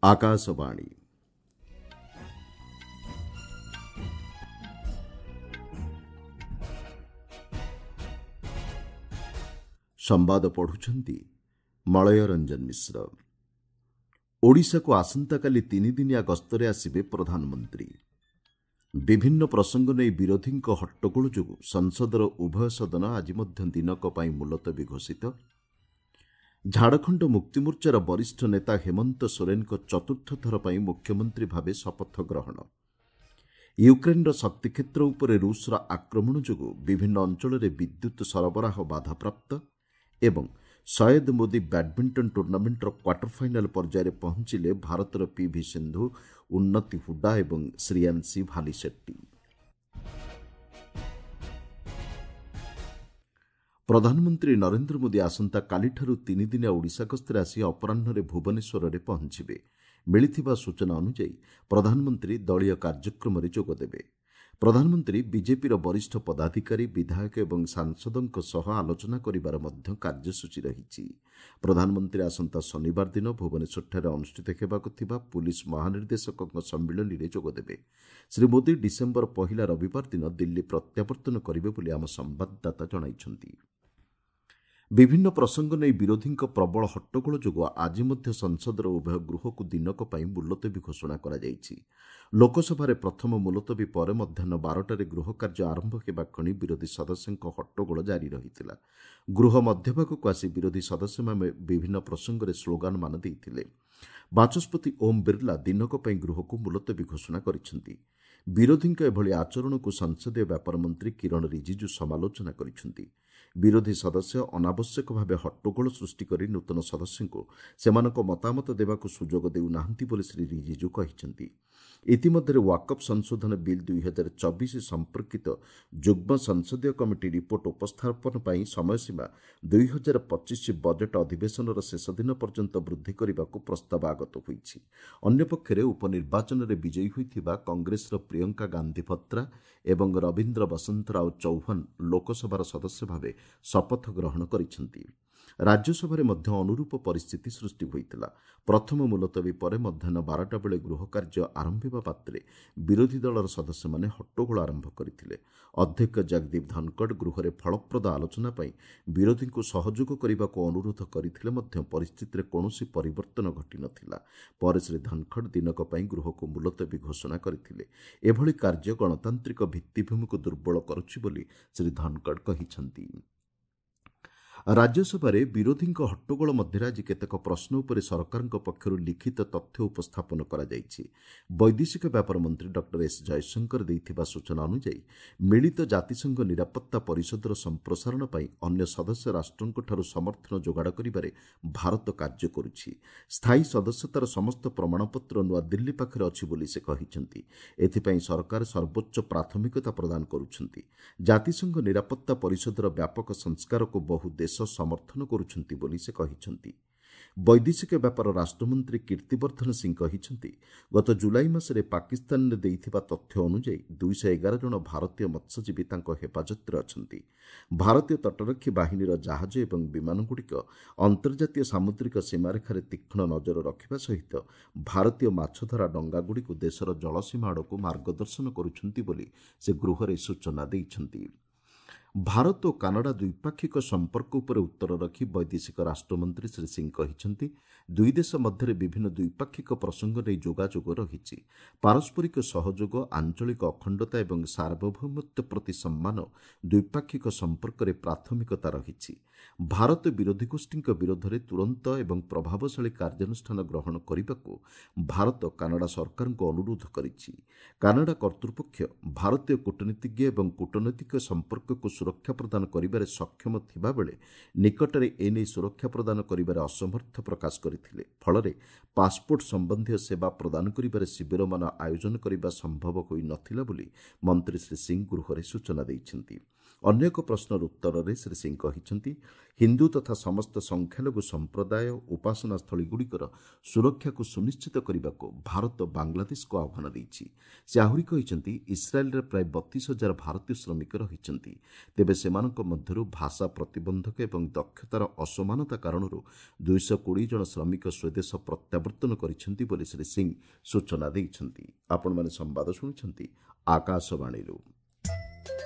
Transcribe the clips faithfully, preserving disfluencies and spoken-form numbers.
ଆକାଶବାଣୀ। ସମ୍ବାଦ ପଢୁଛନ୍ତି ମଳୟ ରଞ୍ଜନ ମିଶ୍ର। ଓଡ଼ିଶାକୁ ଆସନ୍ତାକାଲି ତିନିଦିନିଆ ଗସ୍ତରେ ଆସିବେ ପ୍ରଧାନମନ୍ତ୍ରୀ। ବିଭିନ୍ନ ପ୍ରସଙ୍ଗ ନେଇ ବିରୋଧୀଙ୍କ ହଟ୍ଟଗୋଳ ଯୋଗୁଁ ସଂସଦର ଉଭୟ ସଦନ ଆଜି ମଧ୍ୟ ଦିନକ ପାଇଁ ମୁଲତବୀ ଘୋଷିତ। ଝାଡ଼ଖଣ୍ଡ ମୁକ୍ତିମୋର୍ଚ୍ଚାର ବରିଷ୍ଠ ନେତା ହେମନ୍ତ ସୋରେନଙ୍କ ଚତୁର୍ଥ ଥର ପାଇଁ ମୁଖ୍ୟମନ୍ତ୍ରୀ ଭାବେ ଶପଥ ଗ୍ରହଣ। ୟୁକ୍ରେନ୍ର ଶକ୍ତିକ୍ଷେତ୍ର ଉପରେ ରୁଷର ଆକ୍ରମଣ ଯୋଗୁଁ ବିଭିନ୍ନ ଅଞ୍ଚଳରେ ବିଦ୍ୟୁତ୍ ସରବରାହ ବାଧାପ୍ରାପ୍ତ ଏବଂ ସୟେଦ ମୋଦି ବ୍ୟାଡ୍ମିଣ୍ଟନ ଟୁର୍ଣ୍ଣାମେଣ୍ଟର କ୍ୱାର୍ଟର ଫାଇନାଲ୍ ପର୍ଯ୍ୟାୟରେ ପହଞ୍ଚିଲେ ଭାରତର ପିଭି ସିନ୍ଧୁ, ଉନ୍ନତି ହୁଡା ଏବଂ ଶ୍ରୀୟାଂଶୀ ଭାଲିସେଟ୍ଟି। ପ୍ରଧାନମନ୍ତ୍ରୀ ନରେନ୍ଦ୍ର ମୋଦି ଆସନ୍ତାକାଲିଠାରୁ ତିନିଦିନିଆ ଓଡ଼ିଶା ଗସ୍ତରେ ଆସି ଅପରାହ୍ନରେ ଭୁବନେଶ୍ୱରରେ ପହଞ୍ଚିବେ। ମିଳିଥିବା ସୂଚନା ଅନୁଯାୟୀ ପ୍ରଧାନମନ୍ତ୍ରୀ ଦଳୀୟ କାର୍ଯ୍ୟକ୍ରମରେ ଯୋଗଦେବେ। ପ୍ରଧାନମନ୍ତ୍ରୀ ବିଜେପିର ବରିଷ୍ଠ ପଦାଧିକାରୀ, ବିଧାୟକ ଏବଂ ସାଂସଦଙ୍କ ସହ ଆଲୋଚନା କରିବାର ମଧ୍ୟ କାର୍ଯ୍ୟସୂଚୀ ରହିଛି। ପ୍ରଧାନମନ୍ତ୍ରୀ ଆସନ୍ତା ଶନିବାର ଦିନ ଭୁବନେଶ୍ୱରଠାରେ ଅନୁଷ୍ଠିତ ହେବାକୁ ଥିବା ପୁଲିସ୍ ମହାନିର୍ଦ୍ଦେଶକଙ୍କ ସମ୍ମିଳନୀରେ ଯୋଗଦେବେ। ଶ୍ରୀ ମୋଦି ଡିସେମ୍ବର ପହିଲା ରବିବାର ଦିନ ଦିଲ୍ଲୀ ପ୍ରତ୍ୟାବର୍ତ୍ତନ କରିବେ ବୋଲି ଆମ ସମ୍ବାଦଦାତା ଜଣାଇଛନ୍ତି। ବିଭିନ୍ନ ପ୍ରସଙ୍ଗ ନେଇ ବିରୋଧୀଙ୍କ ପ୍ରବଳ ହଟ୍ଟଗୋଳ ଯୋଗୁଁ ଆଜି ମଧ୍ୟ ସଂସଦର ଉଭୟ ଗୃହକୁ ଦିନକ ପାଇଁ ମୁଲତବୀ ଘୋଷଣା କରାଯାଇଛି। ଲୋକସଭାରେ ପ୍ରଥମ ମୁଲତବୀ ପରେ ମଧ୍ୟାହ୍ନ ବାରଟାରେ ଗୃହ କାର୍ଯ୍ୟ ଆରମ୍ଭ ହେବା କ୍ଷଣି ବିରୋଧୀ ସଦସ୍ୟଙ୍କ ହଟ୍ଟଗୋଳ ଜାରି ରହିଥିଲା। ଗୃହ ମଧ୍ୟଭାଗକୁ ଆସି ବିରୋଧୀ ସଦସ୍ୟମାନେ ବିଭିନ୍ନ ପ୍ରସଙ୍ଗରେ ସ୍ଲୋଗାନମାନ ଦେଇଥିଲେ। ବାଚସ୍ପତି ଓମ୍ ବିର୍ଲା ଦିନକ ପାଇଁ ଗୃହକୁ ମୁଲତବୀ ଘୋଷଣା କରିଛନ୍ତି। ବିରୋଧୀଙ୍କ ଏଭଳି ଆଚରଣକୁ ସଂସଦୀୟ ବ୍ୟାପାର ମନ୍ତ୍ରୀ କିରଣ ରିଜିଜୁ ସମାଲୋଚନା କରିଛନ୍ତି। ବିରୋଧୀ ସଦସ୍ୟ ଅନାବଶ୍ୟକ ଭାବେ ହଟ୍ଟଗୋଳ ସୃଷ୍ଟି କରି ନୂତନ ସଦସ୍ୟଙ୍କୁ ସେମାନଙ୍କ ମତାମତ ଦେବାକୁ ସୁଯୋଗ ଦେଉନାହାନ୍ତି ବୋଲି ଶ୍ରୀ ରିଜିଜୁ କହିଛନ୍ତି। ଇତିମଧ୍ୟରେ ୱାକଫ୍ ସଂଶୋଧନ ବିଲ୍ ଦୁଇ ହଜାର ଚବିଶ ସମ୍ପର୍କିତ ଯୁଗ୍ମ ସଂସଦୀୟ କମିଟି ରିପୋର୍ଟ ଉପସ୍ଥାପନ ପାଇଁ ସମୟସୀମା ଦୁଇ ହଜାର ପଚିଶ ବଜେଟ୍ ଅଧିବେଶନର ଶେଷ ଦିନ ପର୍ଯ୍ୟନ୍ତ ବୃଦ୍ଧି କରିବାକୁ ପ୍ରସ୍ତାବ ଆଗତ ହୋଇଛି। ଅନ୍ୟପକ୍ଷରେ ଉପନିର୍ବାଚନରେ ବିଜୟୀ ହୋଇଥିବା କଂଗ୍ରେସର ପ୍ରିୟଙ୍କା ଗାନ୍ଧୀ ଭତ୍ରା ଏବଂ ରବୀନ୍ଦ୍ର ବସନ୍ତରାଓ ଚୌହାନ ଲୋକସଭାର ସଦସ୍ୟ ଭାବେ ଶପଥ ଗ୍ରହଣ କରିଛନ୍ତି। ରାଜ୍ୟସଭାରେ ମଧ୍ୟ ଅନୁରୂପ ପରିସ୍ଥିତି ସୃଷ୍ଟି ହୋଇଥିଲା। ପ୍ରଥମ ମୁଲତବୀ ପରେ ମଧ୍ୟାହ୍ନ ବାରଟା ବେଳେ ଗୃହ କାର୍ଯ୍ୟ ଆରମ୍ଭ ହେବା ମାତ୍ରେ ବିରୋଧୀ ଦଳର ସଦସ୍ୟମାନେ ହଟ୍ଟଗୋଳ ଆରମ୍ଭ କରିଥିଲେ। ଅଧ୍ୟକ୍ଷ ଜଗଦୀପ ଧନଖଡ଼ ଗୃହରେ ଫଳପ୍ରଦ ଆଲୋଚନା ପାଇଁ ବିରୋଧୀଙ୍କୁ ସହଯୋଗ କରିବାକୁ ଅନୁରୋଧ କରିଥିଲେ ମଧ୍ୟ ପରିସ୍ଥିତିରେ କୌଣସି ପରିବର୍ତ୍ତନ ଘଟିନଥିଲା। ପରେ ଶ୍ରୀ ଧନଖଡ଼ ଦିନକ ପାଇଁ ଗୃହକୁ ମୁଲତବୀ ଘୋଷଣା କରିଥିଲେ। ଏଭଳି କାର୍ଯ୍ୟ ଗଣତାନ୍ତ୍ରିକ ଭିତ୍ତିଭୂମିକୁ ଦୁର୍ବଳ କରୁଛି ବୋଲି ଶ୍ରୀ ଧନଖଡ଼ କହିଛନ୍ତି। ରାଜ୍ୟସଭାରେ ବିରୋଧୀଙ୍କ ହଟ୍ଟଗୋଳ ମଧ୍ୟରେ ଆଜି କେତେକ ପ୍ରଶ୍ନ ଉପରେ ସରକାରଙ୍କ ପକ୍ଷରୁ ଲିଖିତ ତଥ୍ୟ ଉପସ୍ଥାପନ କରାଯାଇଛି। ବୈଦେଶିକ ବ୍ୟାପାର ମନ୍ତ୍ରୀ ଡକ୍ଟର ଏସ୍ ଜୟଶଙ୍କର ଦେଇଥିବା ସୂଚନା ଅନୁଯାୟୀ ମିଳିତ ଜାତିସଂଘ ନିରାପତ୍ତା ପରିଷଦର ସମ୍ପ୍ରସାରଣ ପାଇଁ ଅନ୍ୟ ସଦସ୍ୟ ରାଷ୍ଟ୍ରଙ୍କଠାରୁ ସମର୍ଥନ ଯୋଗାଡ଼ କରିବାରେ ଭାରତ କାର୍ଯ୍ୟ କରୁଛି। ସ୍ଥାୟୀ ସଦସ୍ୟତାର ସମସ୍ତ ପ୍ରମାଣପତ୍ର ନୂଆଦିଲ୍ଲୀ ପାଖରେ ଅଛି ବୋଲି ସେ କହିଛନ୍ତି। ଏଥିପାଇଁ ସରକାର ସର୍ବୋଚ୍ଚ ପ୍ରାଥମିକତା ପ୍ରଦାନ କରୁଛନ୍ତି। ଜାତିସଂଘ ନିରାପତ୍ତା ପରିଷଦର ବ୍ୟାପକ ସଂସ୍କାରକୁ ବହୁ ଦେଶ ସମର୍ଥନ କରୁଛନ୍ତି ବୋଲି ସେ କହିଛନ୍ତି। ବୈଦେଶିକ ବ୍ୟାପାର ରାଷ୍ଟ୍ରମନ୍ତ୍ରୀ କୀର୍ତ୍ତିବର୍ଦ୍ଧନ ସିଂ କହିଛନ୍ତି, ଗତ ଜୁଲାଇ ମାସରେ ପାକିସ୍ତାନରେ ଦେଇଥିବା ତଥ୍ୟ ଅନୁଯାୟୀ ଦୁଇଶହ ଏଗାର ଜଣ ଭାରତୀୟ ମତ୍ସ୍ୟଜୀବୀ ତାଙ୍କ ହେଫାଜତରେ ଅଛନ୍ତି। ଭାରତୀୟ ତଟରକ୍ଷୀ ବାହିନୀର ଜାହାଜ ଏବଂ ବିମାନଗୁଡ଼ିକ ଅନ୍ତର୍ଜାତୀୟ ସାମୁଦ୍ରିକ ସୀମାରେଖାରେ ତୀକ୍ଷ୍ଣ ନଜର ରଖିବା ସହିତ ଭାରତୀୟ ମାଛଧରା ଡଙ୍ଗାଗୁଡ଼ିକୁ ଦେଶର ଜଳସୀମା ଆଡ଼କୁ ମାର୍ଗଦର୍ଶନ କରୁଛନ୍ତି ବୋଲି ସେ ଗୃହରେ ସୂଚନା ଦେଇଛନ୍ତି। ଭାରତ ଓ କାନାଡା ଦ୍ୱିପାକ୍ଷିକ ସମ୍ପର୍କ ଉପରେ ଉତ୍ତର ରଖି ବୈଦେଶିକ ରାଷ୍ଟ୍ରମନ୍ତ୍ରୀ ଶ୍ରୀ ସିଂ କହିଛନ୍ତି, ଦୁଇ ଦେଶ ମଧ୍ୟରେ ବିଭିନ୍ନ ଦ୍ୱିପାକ୍ଷିକ ପ୍ରସଙ୍ଗ ନେଇ ଯୋଗାଯୋଗ ରହିଛି। ପାରସ୍ପରିକ ସହଯୋଗ, ଆଞ୍ଚଳିକ ଅଖଣ୍ଡତା ଏବଂ ସାର୍ବଭୌମତ୍ୱ ପ୍ରତି ସମ୍ମାନ ଦ୍ୱିପାକ୍ଷିକ ସମ୍ପର୍କରେ ପ୍ରାଥମିକତା ରହିଛି। ଭାରତ ବିରୋଧୀ ଗୋଷ୍ଠୀଙ୍କ ବିରୋଧରେ ତୁରନ୍ତ ଏବଂ ପ୍ରଭାବଶାଳୀ କାର୍ଯ୍ୟାନୁଷ୍ଠାନ ଗ୍ରହଣ କରିବାକୁ ଭାରତ କାନାଡା ସରକାରଙ୍କୁ ଅନୁରୋଧ କରିଛି। କାନାଡା କର୍ତ୍ତୃପକ୍ଷ ଭାରତୀୟ କୂଟନୀତିଜ୍ଞ ଏବଂ କୂଟନୈତିକ ସମ୍ପର୍କକୁ ସୁରକ୍ଷା ପ୍ରଦାନ କରିବାରେ ସକ୍ଷମ ଥିବାବେଳେ ନିକଟରେ ଏନେଇ ସୁରକ୍ଷା ପ୍ରଦାନ କରିବାରେ ଅସମର୍ଥ ପ୍ରକାଶ କରିଥିଲେ। ଫଳରେ ପାସପୋର୍ଟ ସମ୍ବନ୍ଧୀୟ ସେବା ପ୍ରଦାନ କରିବାରେ ଶିବିରମାନ ଆୟୋଜନ କରିବା ସମ୍ଭବ ହୋଇନଥିଲା ବୋଲି ମନ୍ତ୍ରୀ ଶ୍ରୀ ସିଂ ଗୃହରେ ସୂଚନା ଦେଇଛନ୍ତି। ଅନ୍ୟ ଏକ ପ୍ରଶ୍ନର ଉତ୍ତରରେ ଶ୍ରୀ ସିଂ କହିଛନ୍ତି, ହିନ୍ଦୁ ତଥା ସମସ୍ତ ସଂଖ୍ୟାଲଘୁ ସମ୍ପ୍ରଦାୟ ଉପାସନା ସ୍ଥଳୀଗୁଡ଼ିକର ସୁରକ୍ଷାକୁ ସୁନିଶ୍ଚିତ କରିବାକୁ ଭାରତ ବାଂଲାଦେଶକୁ ଆହ୍ୱାନ ଦେଇଛି। ସେ ଆହୁରି କହିଛନ୍ତି, ଇସ୍ରାଏଲ୍ରେ ପ୍ରାୟ ବତିଶ ହଜାର ଭାରତୀୟ ଶ୍ରମିକ ରହିଛନ୍ତି। ତେବେ ସେମାନଙ୍କ ମଧ୍ୟରୁ ଭାଷା ପ୍ରତିବନ୍ଧକ ଏବଂ ଦକ୍ଷତାର ଅସମାନତା କାରଣରୁ ଦୁଇଶହ କୋଡ଼ିଏ ଜଣ ଶ୍ରମିକ ସ୍ୱଦେଶ ପ୍ରତ୍ୟାବର୍ତ୍ତନ କରିଛନ୍ତି ବୋଲି ଶ୍ରୀ ସିଂ ସୂଚନା ଦେଇଛନ୍ତି। ଆପଣମାନେ ସମ୍ବାଦ ଶୁଣୁଛନ୍ତି ଆକାଶବାଣୀରୁ।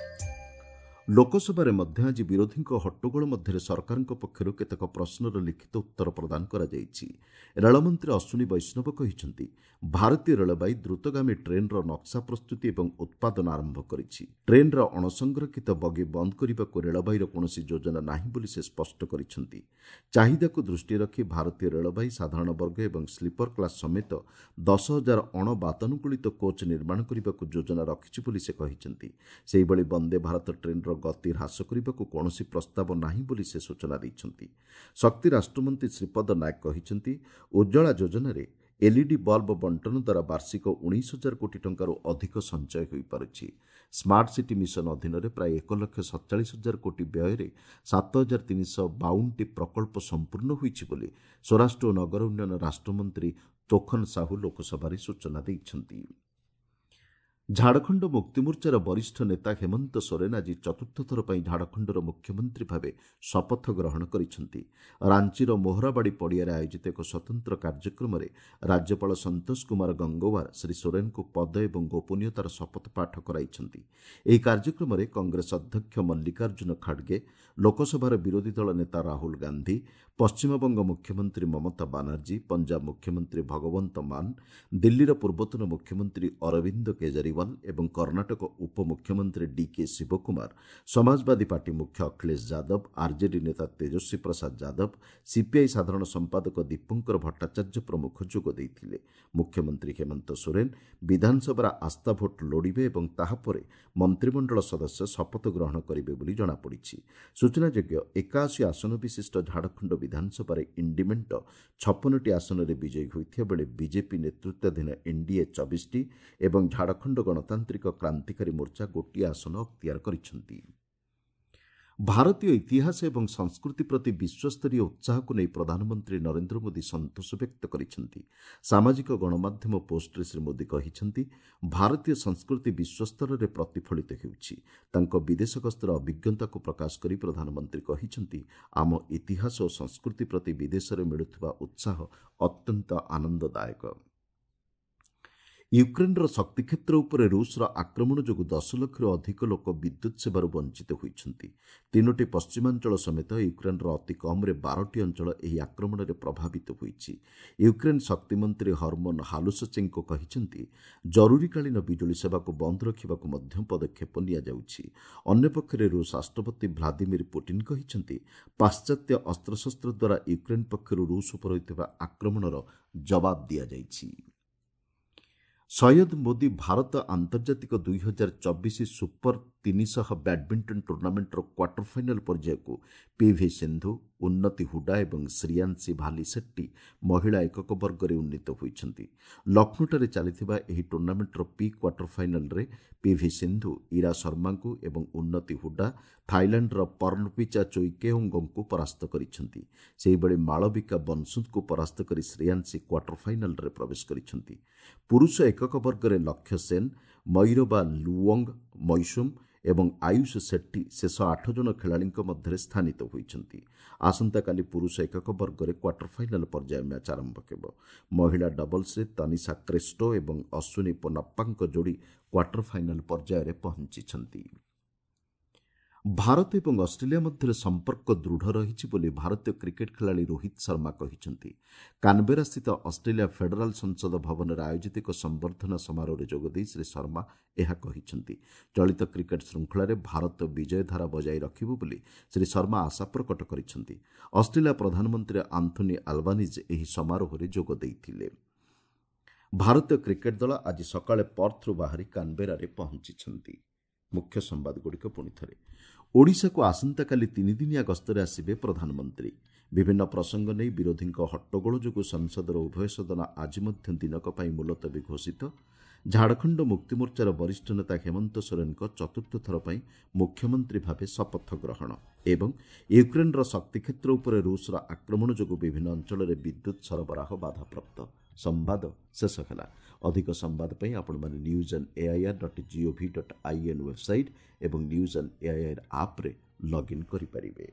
ଲୋକସଭାରେ ମଧ୍ୟ ଆଜି ବିରୋଧୀଙ୍କ ହଟ୍ଟଗୋଳ ମଧ୍ୟରେ ସରକାରଙ୍କ ପକ୍ଷରୁ କେତେକ ପ୍ରଶ୍ନର ଲିଖିତ ଉତ୍ତର ପ୍ରଦାନ କରାଯାଇଛି। ରେଳମନ୍ତ୍ରୀ ଅଶ୍ୱିନୀ ବୈଷ୍ଣବ କହିଛନ୍ତି, ଭାରତୀୟ ରେଳବାଇ ଦ୍ରୁତଗାମୀ ଟ୍ରେନ୍ର ନକ୍ସା ପ୍ରସ୍ତୁତି ଏବଂ ଉତ୍ପାଦନ ଆରମ୍ଭ କରିଛି। ଟ୍ରେନ୍ର ଅଣସଂରକ୍ଷିତ ବଗି ବନ୍ଦ କରିବାକୁ ରେଳବାଇର କୌଣସି ଯୋଜନା ନାହିଁ ବୋଲି ସେ ସ୍ପଷ୍ଟ କରିଛନ୍ତି। ଚାହିଦାକୁ ଦୃଷ୍ଟିରେ ରଖି ଭାରତୀୟ ରେଳବାଇ ସାଧାରଣ ବର୍ଗ ଏବଂ ସ୍ଲିପର କ୍ଲାସ୍ ସମେତ ଦଶ ହଜାର ଅଣବାତାନୁକୂଳିତ କୋଚ୍ ନିର୍ମାଣ କରିବାକୁ ଯୋଜନା ରଖିଛି ବୋଲି ସେ କହିଛନ୍ତି। ସେହିଭଳି ବନ୍ଦେ ଭାରତ ଟ୍ରେନ୍ର ଗତି ହ୍ରାସ କରିବାକୁ କୌଣସି ପ୍ରସ୍ତାବ ନାହିଁ ବୋଲି ସେ ସୂଚନା ଦେଇଛନ୍ତି। ଶକ୍ତି ରାଷ୍ଟ୍ରମନ୍ତ୍ରୀ ଶ୍ରୀପଦ ନାୟକ କହିଛନ୍ତି, ଉଜ୍ଜଳା ଯୋଜନାରେ ଏଲ୍ଇଡି ବଲ୍ବ ବଣ୍ଟନ ଦ୍ୱାରା ବାର୍ଷିକ ଉଣେଇଶ ହଜାର କୋଟି ଟଙ୍କାରୁ ଅଧିକ ସଞ୍ଚୟ ହୋଇପାରୁଛି। ସ୍ମାର୍ଟ ସିଟି ମିଶନ ଅଧୀନରେ ପ୍ରାୟ ଏକ ଲକ୍ଷ ସତଚାଳିଶ ହଜାର କୋଟି ବ୍ୟୟରେ ସାତ ହଜାର ତିନିଶହ ବାଉନଟି ପ୍ରକଳ୍ପ ସମ୍ପୂର୍ଣ୍ଣ ହୋଇଛି ବୋଲି ସ୍ୱରାଷ୍ଟ୍ର ଓ ନଗର ଉନ୍ନୟନ ରାଷ୍ଟ୍ରମନ୍ତ୍ରୀ ତୋଖନ ସାହୁ ଲୋକସଭାରେ ସୂଚନା ଦେଇଛନ୍ତି। ଝାଡ଼ଖଣ୍ଡ ମୁକ୍ତିମୋର୍ଚ୍ଚାର ବରିଷ୍ଠ ନେତା ହେମନ୍ତ ସୋରେନ ଆଜି ଚତୁର୍ଥ ଥର ପାଇଁ ଝାଡ଼ଖଣ୍ଡର ମୁଖ୍ୟମନ୍ତ୍ରୀ ଭାବେ ଶପଥ ଗ୍ରହଣ କରିଛନ୍ତି। ରାଞ୍ଚିର ମୋହରାବାଡ଼ି ପଡ଼ିଆରେ ଆୟୋଜିତ ଏକ ସ୍ୱତନ୍ତ୍ର କାର୍ଯ୍ୟକ୍ରମରେ ରାଜ୍ୟପାଳ ସନ୍ତୋଷ କୁମାର ଗଙ୍ଗୱାର ଶ୍ରୀ ସୋରେନଙ୍କୁ ପଦ ଏବଂ ଗୋପନୀୟତାର ଶପଥ ପାଠ କରାଇଛନ୍ତି। ଏହି କାର୍ଯ୍ୟକ୍ରମରେ କଂଗ୍ରେସ ଅଧ୍ୟକ୍ଷ ମଲ୍ଲିକାର୍ଜୁନ ଖଡ଼ଗେ, ଲୋକସଭାର ବିରୋଧୀ ଦଳ ନେତା ରାହୁଲ ଗାନ୍ଧୀ, ପଶ୍ଚିମବଙ୍ଗ ମୁଖ୍ୟମନ୍ତ୍ରୀ ମମତା ବାନାର୍ଜୀ, ପଞ୍ଜାବ ମୁଖ୍ୟମନ୍ତ୍ରୀ ଭଗବନ୍ତ ମାନ, ଦିଲ୍ଲୀର ପୂର୍ବତନ ମୁଖ୍ୟମନ୍ତ୍ରୀ ଅରବିନ୍ଦ କେଜରିୱାଲ ଏବଂ କର୍ଣ୍ଣାଟକ ଉପମୁଖ୍ୟମନ୍ତ୍ରୀ ଡିକେ ଶିବକୁମାର, ସମାଜବାଦୀ ପାର୍ଟି ମୁଖ୍ୟ ଅଖିଳେଶ ଯାଦବ, ଆର୍ଜେଡି ନେତା ତେଜସ୍ୱୀ ପ୍ରସାଦ ଯାଦବ, ସିପିଆଇ ସାଧାରଣ ସମ୍ପାଦକ ଦୀପଙ୍କର ଭଟ୍ଟାଚାର୍ଯ୍ୟ ପ୍ରମୁଖ ଯୋଗ ଦେଇଥିଲେ। ମୁଖ୍ୟମନ୍ତ୍ରୀ ହେମନ୍ତ ସୋରେନ ବିଧାନସଭାର ଆସ୍ଥା ଭୋଟ ଲୋଡ଼ିବେ ଏବଂ ତାହାପରେ ମନ୍ତ୍ରିମଣ୍ଡଳ ସଦସ୍ୟ ଶପଥ ଗ୍ରହଣ କରିବେ ବୋଲି ଜଣାପଡ଼ିଛି। ସୂଚନାଯୋଗ୍ୟ, ଏକାଅଶୀ ଆସନ ବିଶିଷ୍ଟ ଝାଡ଼ଖଣ୍ଡ ବିଧାନସଭାରେ ଇଣ୍ଡି ମେଣ୍ଟ ଛପନଟି ଆସନରେ ବିଜୟୀ ହୋଇଥିବା ବେଳେ ବିଜେପି ନେତୃତ୍ୱାଧୀନ ଏନ୍ଡିଏ ଚବିଶଟି ଏବଂ ଝାଡ଼ଖଣ୍ଡ ଗଣତାନ୍ତ୍ରିକ କ୍ରାନ୍ତିକାରୀ ମୋର୍ଚ୍ଚା ଗୋଟିଏ ଆସନ ଅକ୍ତିଆର କରିଛନ୍ତି। ଭାରତୀୟ ଇତିହାସ ଏବଂ ସଂସ୍କୃତି ପ୍ରତି ବିଶ୍ୱସ୍ତରୀୟ ଉତ୍ସାହକୁ ନେଇ ପ୍ରଧାନମନ୍ତ୍ରୀ ନରେନ୍ଦ୍ର ମୋଦି ସନ୍ତୋଷ ବ୍ୟକ୍ତ କରିଛନ୍ତି। ସାମାଜିକ ଗଣମାଧ୍ୟମ ପୋଷ୍ଟରେ ଶ୍ରୀ ମୋଦି କହିଛନ୍ତି, ଭାରତୀୟ ସଂସ୍କୃତି ବିଶ୍ୱସ୍ତରରେ ପ୍ରତିଫଳିତ ହେଉଛି। ତାଙ୍କ ବିଦେଶ ଗସ୍ତର ଅଭିଜ୍ଞତାକୁ ପ୍ରକାଶ କରି ପ୍ରଧାନମନ୍ତ୍ରୀ କହିଛନ୍ତି, ଆମ ଇତିହାସ ଓ ସଂସ୍କୃତି ପ୍ରତି ବିଦେଶରେ ମିଳୁଥିବା ଉତ୍ସାହ ଅତ୍ୟନ୍ତ ଆନନ୍ଦଦାୟକ। ୟୁକ୍ରେନ୍ର ଶକ୍ତି କ୍ଷେତ୍ର ଉପରେ ରୁଷର ଆକ୍ରମଣ ଯୋଗୁଁ ଦଶ ଲକ୍ଷରୁ ଅଧିକ ଲୋକ ବିଦ୍ୟୁତ୍ ସେବାରୁ ବଞ୍ଚିତ ହୋଇଛନ୍ତି। ତିନୋଟି ପଶ୍ଚିମାଞ୍ଚଳ ସମେତ ୟୁକ୍ରେନ୍ର ଅତି କମ୍ରେ ବାରଟି ଅଞ୍ଚଳ ଏହି ଆକ୍ରମଣରେ ପ୍ରଭାବିତ ହୋଇଛି। ୟୁକ୍ରେନ୍ ଶକ୍ତିମନ୍ତ୍ରୀ ହରମୋନ ହାଲୁସଚେଙ୍କୋ କହିଛନ୍ତି, ଜରୁରୀକାଳୀନ ବିଜୁଳି ସେବାକୁ ବନ୍ଦ ରଖିବାକୁ ମଧ୍ୟ ପଦକ୍ଷେପ ନିଆଯାଉଛି। ଅନ୍ୟପକ୍ଷରେ ରୁଷ ରାଷ୍ଟ୍ରପତି ଭ୍ଲାଦିମିର ପୁଟିନ୍ କହିଛନ୍ତି, ପାଶ୍ଚାତ୍ୟ ଅସ୍ତ୍ରଶସ୍ତ୍ର ଦ୍ୱାରା ୟୁକ୍ରେନ୍ ପକ୍ଷରୁ ରୁଷ ଉପରେ ହୋଇଥିବା ଆକ୍ରମଣର ଜବାବ ଦିଆଯାଇଛି। ସୈୟଦ ମୋଦି ଭାରତ ଆନ୍ତର୍ଜାତିକ ଦୁଇ ହଜାର ଚବିଶ ସୁପର ତିନିଶହ ବ୍ୟାଡମିଣ୍ଟନ ଟୁର୍ଣ୍ଣାମେଣ୍ଟର କ୍ୱାର୍ଟର ଫାଇନାଲ ପର୍ଯ୍ୟାୟକୁ ପିଭି ସିନ୍ଧୁ, ଉନ୍ନତି ହୁଡା ଏବଂ ଶ୍ରୀୟାଂଶୀ ଭାଲିସେଟ୍ଟି ମହିଳା ଏକକ ବର୍ଗରେ ଉନ୍ନୀତ ହୋଇଛନ୍ତି। ଲକ୍ଷ୍ନୌଠାରେ ଚାଲିଥିବା ଏହି ଟୁର୍ଣ୍ଣାମେଣ୍ଟର ପ୍ରି କ୍ୱାର୍ଟର ଫାଇନାଲରେ ପିଭି ସିନ୍ଧୁ ଇରା ଶର୍ମାଙ୍କୁ ଏବଂ ଉନ୍ନତି ହୁଡା ଥାଇଲାଣ୍ଡର ପର୍ଣ୍ଣପିଚା ଚୋଇକେଓଙ୍ଗଙ୍କୁ ପରାସ୍ତ କରିଛନ୍ତି। ସେହିଭଳି ମାଳବିକା ବନସୁଦଙ୍କୁ ପରାସ୍ତ କରି ଶ୍ରେୟାଂଶୀ କ୍ୱାର୍ଟର ଫାଇନାଲରେ ପ୍ରବେଶ କରିଛନ୍ତି। ପୁରୁଷ ଏକକ ବର୍ଗରେ ଲକ୍ଷ୍ୟ ସେନ୍, ମୟୂରବା ଲୁଓଙ୍ଗ ମୈସୁମ ଏବଂ ଆୟୁଷ ସେଟ୍ଟି ଶେଷ ଆଠ ଜଣ ଖେଳାଳିଙ୍କ ମଧ୍ୟରେ ସ୍ଥାନିତ ହୋଇଛନ୍ତି। ଆସନ୍ତାକାଲି ପୁରୁଷ ଏକକ ବର୍ଗରେ କ୍ୱାର୍ଟର ଫାଇନାଲ ପର୍ଯ୍ୟାୟ ମ୍ୟାଚ୍ ଆରମ୍ଭ ହେବ। ମହିଳା ଡବଲ୍ସରେ ତନିଷା କ୍ରେଷ୍ଟୋ ଏବଂ ଅଶ୍ୱିନୀ ପୋନାପ୍ପାଙ୍କ ଯୋଡ଼ି କ୍ୱାର୍ଟର ଫାଇନାଲ ପର୍ଯ୍ୟାୟରେ ପହଞ୍ଚିଛନ୍ତି। ଭାରତ ଏବଂ ଅଷ୍ଟ୍ରେଲିଆ ମଧ୍ୟରେ ସମ୍ପର୍କ ଦୃଢ଼ ରହିଛି ବୋଲି ଭାରତୀୟ କ୍ରିକେଟ୍ ଖେଳାଳି ରୋହିତ ଶର୍ମା କହିଛନ୍ତି। କାନବେରାସ୍ଥିତ ଅଷ୍ଟ୍ରେଲିଆ ଫେଡେରାଲ୍ ସଂସଦ ଭବନରେ ଆୟୋଜିତ ଏକ ସମ୍ବର୍ଦ୍ଧନା ସମାରୋହରେ ଯୋଗଦେଇ ଶ୍ରୀ ଶର୍ମା ଏହା କହିଛନ୍ତି। ଚଳିତ କ୍ରିକେଟ୍ ଶୃଙ୍ଖଳାରେ ଭାରତ ବିଜୟଧାରା ବଜାୟ ରଖିବ ବୋଲି ଶ୍ରୀ ଶର୍ମା ଆଶା ପ୍ରକଟ କରିଛନ୍ତି। ଅଷ୍ଟ୍ରେଲିଆ ପ୍ରଧାନମନ୍ତ୍ରୀ ଆନ୍ଥୋନି ଆଲବାନିଜ୍ ଏହି ସମାରୋହରେ ଯୋଗ ଦେଇଥିଲେ। ଭାରତୀୟ କ୍ରିକେଟ୍ ଦଳ ଆଜି ସକାଳେ ପର୍ଥରୁ ବାହାରି କାନବେରାରେ ପହଞ୍ଚିଛନ୍ତି। ମୁଖ୍ୟ ସମ୍ବାଦଗୁଡ଼ିକ ପୁଣି ଥରେ। ଓଡ଼ିଶାକୁ ଆସନ୍ତାକାଲି ତିନିଦିନିଆ ଗସ୍ତରେ ଆସିବେ ପ୍ରଧାନମନ୍ତ୍ରୀ। ବିଭିନ୍ନ ପ୍ରସଙ୍ଗ ନେଇ ବିରୋଧୀଙ୍କ ହଟ୍ଟଗୋଳ ଯୋଗୁଁ ସଂସଦର ଉଭୟ ସଦନ ଆଜି ମଧ୍ୟ ଦିନକ ପାଇଁ ମୁଲତବୀ ଘୋଷିତ। ଝାଡ଼ଖଣ୍ଡ ମୁକ୍ତିମୋର୍ଚ୍ଚାର ବରିଷ୍ଠ ନେତା ହେମନ୍ତ ସୋରେନଙ୍କ ଚତୁର୍ଥ ଥର ପାଇଁ ମୁଖ୍ୟମନ୍ତ୍ରୀ ଭାବେ ଶପଥ ଗ୍ରହଣ ଏବଂ ୟୁକ୍ରେନ୍ର ଶକ୍ତି କ୍ଷେତ୍ର ଉପରେ ରୁଷର ଆକ୍ରମଣ ଯୋଗୁଁ ବିଭିନ୍ନ ଅଞ୍ଚଳରେ ବିଦ୍ୟୁତ୍ ସରବରାହ ବାଧାପ୍ରାପ୍ତ। ସମ୍ବାଦ ଶେଷ ହେଲା। ଅଧିକ ସମ୍ବାଦ ପାଇଁ ଆପଣମାନେ news on AIR dot gov dot in website ଏବଂ ନ୍ୟୁଜ୍ ଅନ୍ ଏଆଇଆର୍ ଆପ୍ରେ ଲଗ୍ଇନ୍ କରିପାରିବେ।